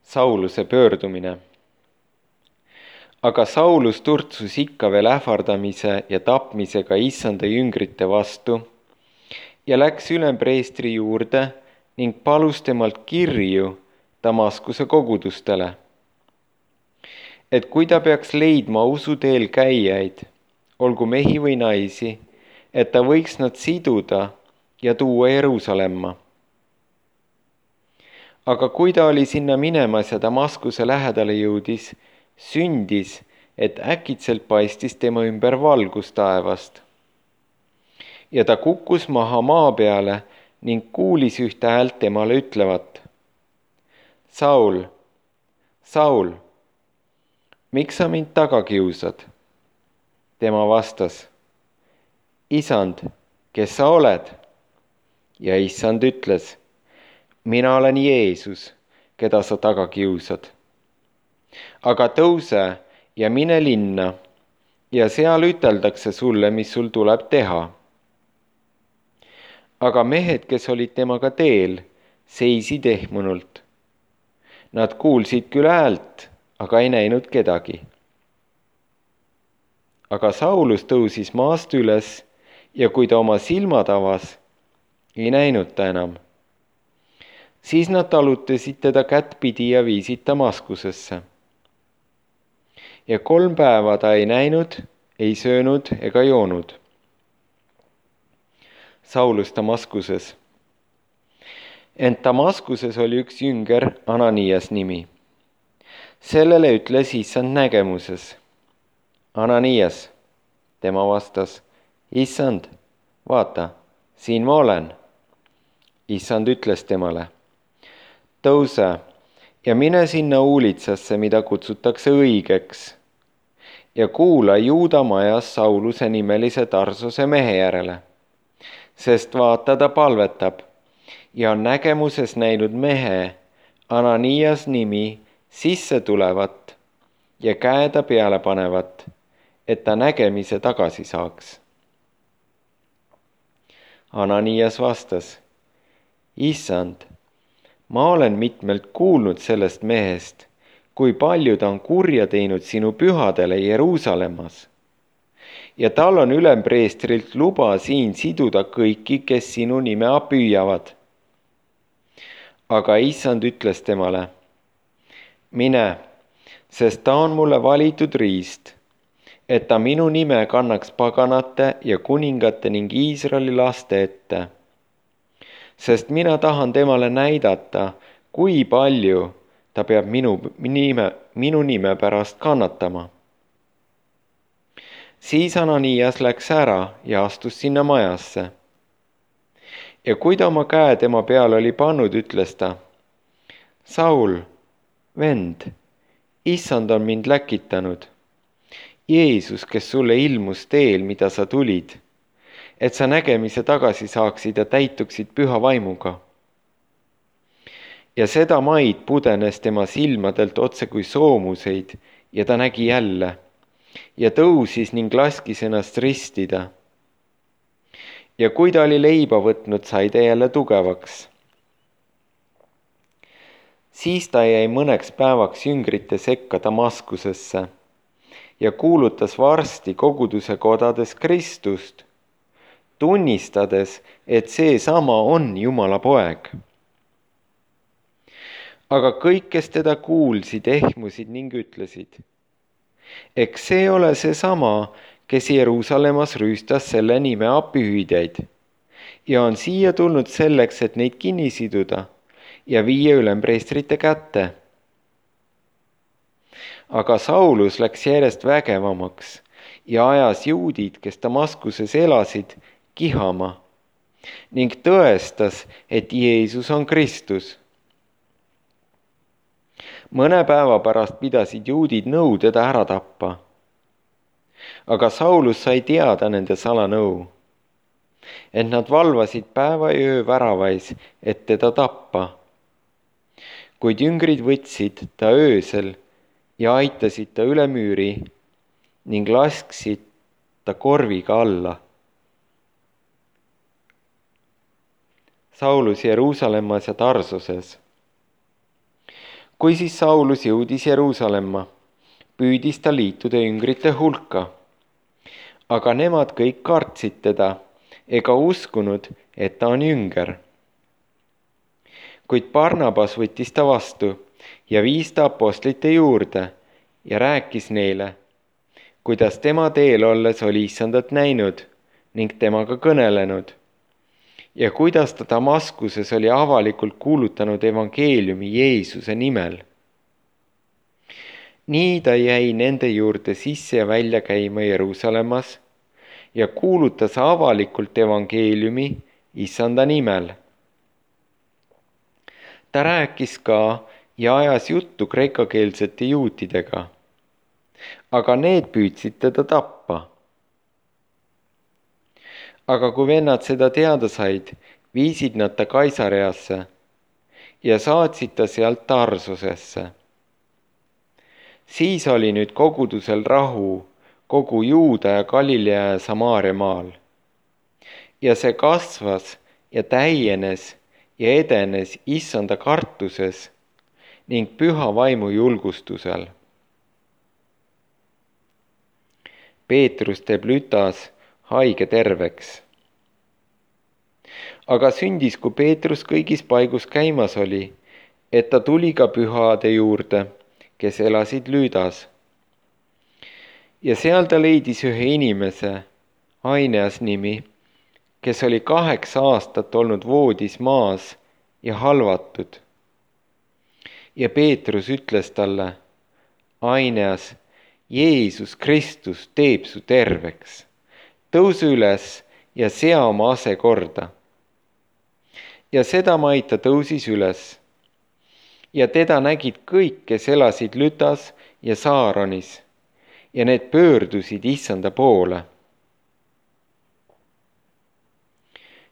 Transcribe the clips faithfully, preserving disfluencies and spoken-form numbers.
Sauluse pöördumine. Aga Saulus turtsus ikka veel ähvardamise ja tapmisega issanda jüngrite vastu ja läks ülempreestri juurde ning palus temalt kirju Damaskuse kogudustele, et kui ta peaks leidma usuteel käijaid, olgu mehi või naisi, et ta võiks nad siduda ja tuua Jeruusalemma. Aga kui ta oli sinna minemas ja Damaskuse lähedale jõudis, sündis, et äkitselt paistis tema ümber valgus taevast. Ja ta kukkus maha maa peale ning kuulis ühte häält temale ütlevat: Saul, Saul, miks sa mind taga kiusad? Tema vastas: Isand, kes sa oled? Ja issand ütles: mina olen Jeesus, keda sa taga kiusad. Aga tõuse ja mine linna ja seal üteldakse sulle, mis sul tuleb teha. Aga mehed, kes olid temaga teel, seisid ehmunult. Nad kuulsid küll häält, aga ei näinud kedagi. Aga Saulus tõusis maast üles ja kui ta oma silmad avas, ei näinud ta enam. Siis nad talutasid teda kättpidi ja viisid Damaskusesse. Ja kolm päeva ta ei näinud, ei söönud ega joonud. Saulus Damaskuses. Ent Damaskuses oli üks jünger, Ananias nimi. Sellele ütles issand nägemuses: Ananias. Tema vastas: issand, vaata, siin ma olen. Issand ütles temale: tõuse ja mine sinna uulitsasse, mida kutsutakse õigeks, ja kuula Juuda majas Sauluse nimelise Tarsuse mehe järele, sest vaata, ta palvetab ja on nägemuses näinud mehe, Ananias nimi, sisse tulevat ja käe ta peale panevat, et ta nägemise tagasi saaks. Ananias vastas: issand, ma olen mitmelt kuulnud sellest mehest, kui palju ta on kurja teinud sinu pühadele Jeruusalemmas. Ja tal on ülempreestrilt luba siin siduda kõiki, kes sinu nime püüavad. Aga issand ütles temale: mine, sest ta on mulle valitud riist, et ta minu nime kannaks paganate ja kuningate ning Iisraeli laste ette. Sest mina tahan temale näidata, kui palju ta peab minu nime, minu nime pärast kannatama. Siis Ananias läks ära ja astus sinna majasse. Ja kui ta oma käe tema peale oli pannud, ütles ta: Saul, vend, issand on mind läkitanud. Jeesus, kes sulle ilmus teel, mida sa tulid, et sa nägemise tagasi saaksid ja täituksid püha vaimuga. Ja seda maid pudenes tema silmadelt otse kui soomuseid ja ta nägi jälle ja tõusis ning laskis ennast ristida. Ja kui ta oli leiba võtnud, sai ta jälle tugevaks. Siis ta jäi mõneks päevaks jüngrite sekka Damaskusesse ja kuulutas varsti koguduse kodades Kristust, tunnistades, et see sama on Jumala poeg. Aga kõik, kes teda kuulsid, ehmusid ning ütlesid: eks see ole see sama, kes Jeruusalemmas rüüstas selle nime apihüüdjaid ja on siia tulnud selleks, et neid kinni siduda ja viia ülempreestrite kätte. Aga Saulus läks järjest vägevamaks ja ajas juudid, kes Damaskuses elasid, kihama ning tõestas, et Jeesus on Kristus. Mõne päeva pärast pidasid juudid nõu teda ära tappa. Aga Saulus sai teada nende salanõu, et nad valvasid päeva ja öö väravais, et teda tappa. Kuid jüngrid võtsid ta öösel ja aitasid ta üle müüri ning lasksid ta korviga alla. Saulus Jeruusalemmas ja Tarsuses. kui siis Saulus jõudis Jeruusalemma, püüdis ta liituda üngrite hulka. Aga nemad kõik kartsid teda ega uskunud, et ta on jünger. Kuid Barnabas võttis ta vastu ja viis ta apostlite juurde ja rääkis neile, kuidas tema teel olles oli Issandat näinud ning temaga kõnelenud ja kuidas ta Damaskuses oli avalikult kuulutanud evangeeliumi Jeesuse nimel. Nii ta jäi nende juurde sisse ja välja käima Jeruusalemmas ja kuulutas avalikult evangeeliumi Issanda nimel. Ta rääkis ka ja ajas juttu kreekakeelsete juutidega, aga need püüdsid teda tappa. Aga kui vennad seda teada said, viisid nad ta Kaisareasse ja saatsid ta sealt Tarsosesse. Siis oli nüüd kogudusel rahu kogu Juuda ja Galilea ja Samaaria maal. Ja see kasvas ja täienes ja edenes Issanda kartuses ning püha vaimu julgustusel. Peetrus teeb Lütas haige terveks. Aga sündis, kui Peetrus kõigis paigus käimas oli, et ta tuli ka pühade juurde, kes elasid Lüdas. Ja seal ta leidis ühe inimese, Aineas nimi, kes oli kaheksa aastat olnud voodis maas ja halvatud. Ja Peetrus ütles talle, Aineas, Jeesus Kristus teeb su terveks. Tõuse üles ja sea oma ase korda. Ja sedamaid ta tõusis üles. Ja teda nägid kõik, kes elasid Lütas ja Saaronis, ja need pöördusid Issanda poole.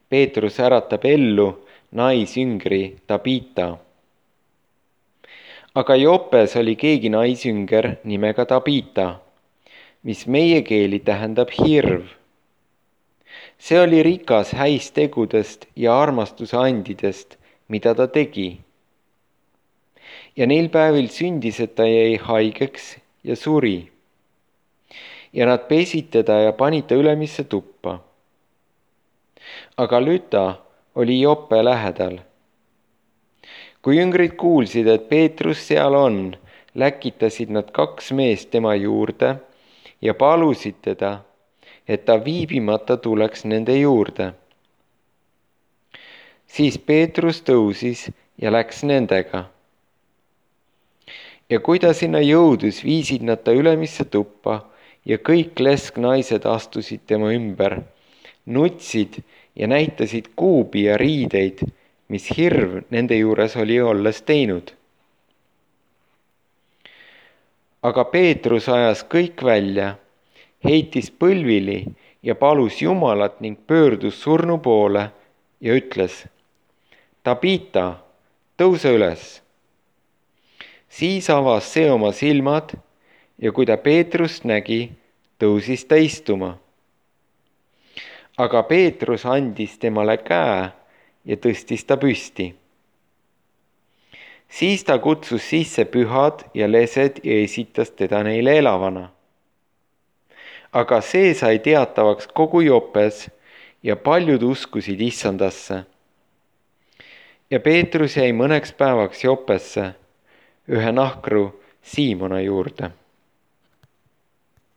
Peetrus äratab ellu naisjüngri Tabita. Aga Jopes oli keegi naisjünger nimega Tabita, mis meie keeli tähendab hirv. See oli rikas häistegudest ja armastuse andidest, mida ta tegi. Ja neil päevil sündis, et ta jäi haigeks ja suri. Ja nad pesid teda ja panid ta ülemisse tuppa. Aga Lüta oli Joppe lähedal. Kui jüngrid kuulsid, et Peetrus seal on, läkitasid nad kaks meest tema juurde ja palusid teda, et ta viibimata tuleks nende juurde. Siis Peetrus tõusis ja läks nendega. Ja kui ta sinna jõudus, viisid nad ta ülemisse tuppa ja kõik lesknaised astusid tema ümber, nutsid ja näitasid kuubi ja riideid, mis hirv nende juures oli olles teinud. Aga Peetrus ajas kõik välja, heitis põlvili ja palus Jumalat ning pöördus surnu poole ja ütles, Tabita, tõuse üles. Siis avas see oma silmad ja kui ta Peetrust nägi, tõusis ta istuma. Aga Peetrus andis temale käe ja tõstis ta püsti. Siis ta kutsus sisse pühad ja lesed ja esitas teda neile elavana. Aga see sai teatavaks kogu Jopes ja paljud uskusid Issandasse. Ja Peetrus jäi mõneks päevaks Jopesse, ühe nahkru Siimona juurde.